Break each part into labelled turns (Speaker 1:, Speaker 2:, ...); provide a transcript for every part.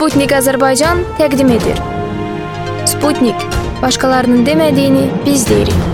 Speaker 1: Sputnik Azərbaycan təqdim edir. Sputnik, başqalarının demədiyini biz deyirik.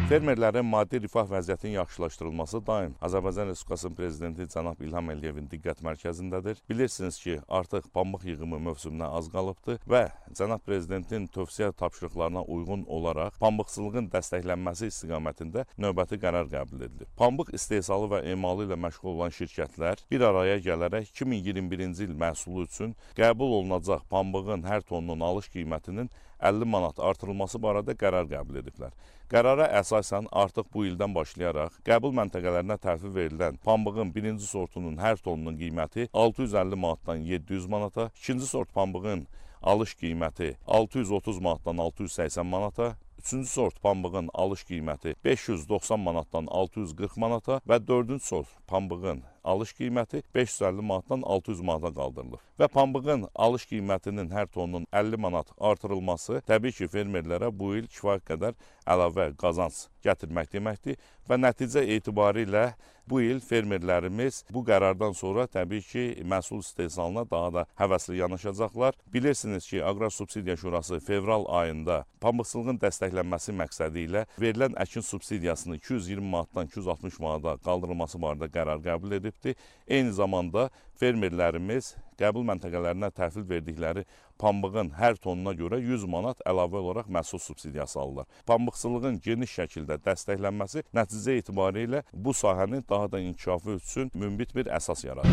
Speaker 2: Fermerlərin maddi rifah vəziyyətinin yaxşılaşdırılması daim Azərbaycan Respublikasının Prezidenti cənab İlham Əliyevin diqqət mərkəzindədir. Bilirsiniz ki, artıq pambıq yığımı mövsümünə az qalıbdır və cənab Prezidentin tövsiyə tapşırıqlarına uyğun olaraq pambıqçılığın dəstəklənməsi istiqamətində növbəti qərar qəbul edilir. Pambıq istehsalı və emalı ilə məşğul olan şirkətlər bir araya gələrək 2021-ci il məhsulu üçün qəbul olunacaq pambığın hər tonunun alış qiymətinin 50 manat artırılması barədə qərar qəbul ediblər. Qərara əsasən artıq bu ildən başlayaraq qəbul məntəqələrinə təhvil verilən pambığın birinci sortunun hər tonunun qiyməti 650 manatdan 700 manata, ikinci sort pambığın alış qiyməti 630 manatdan 680 manata, üçüncü sort pambığın alış qiyməti 590 manatdan 640 manata və dördüncü sort pambığın alış qiyməti 550 manatdan 600 manata qaldırılır. Və pambığın alış qiymətinin hər tonunun 50 manat artırılması təbii ki, fermerlərə bu il kifayət qədər əlavə qazanc gətirmək deməkdir və nəticə etibarilə bu il fermerlərimiz bu qərardan sonra təbii ki, məhsul istehsalına daha da həvəsli yanaşacaqlar. Bilirsiniz ki, Aqrar Subsidiya Şurası fevral ayında pambıqçılığın dəstəklənməsi məqsədi ilə verilən əkin subsidiyasını 220 manatdan 260 manata qaldırılması barədə qərar qəbul edibdir. Eyni zamanda fermerlərimiz qəbul məntəqələrinə təhvil verdikləri pambığın hər tonuna görə 100 manat əlavə olaraq məhsul subsidiyası alırlar. Pambıqçılığın geniş şəkildə dəstəklənməsi nəticə etibarilə bu sahənin daha da inkişafı üçün münbit bir əsas yaradır.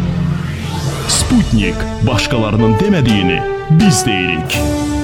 Speaker 3: Sputnik, başqalarının demədiyini biz deyirik.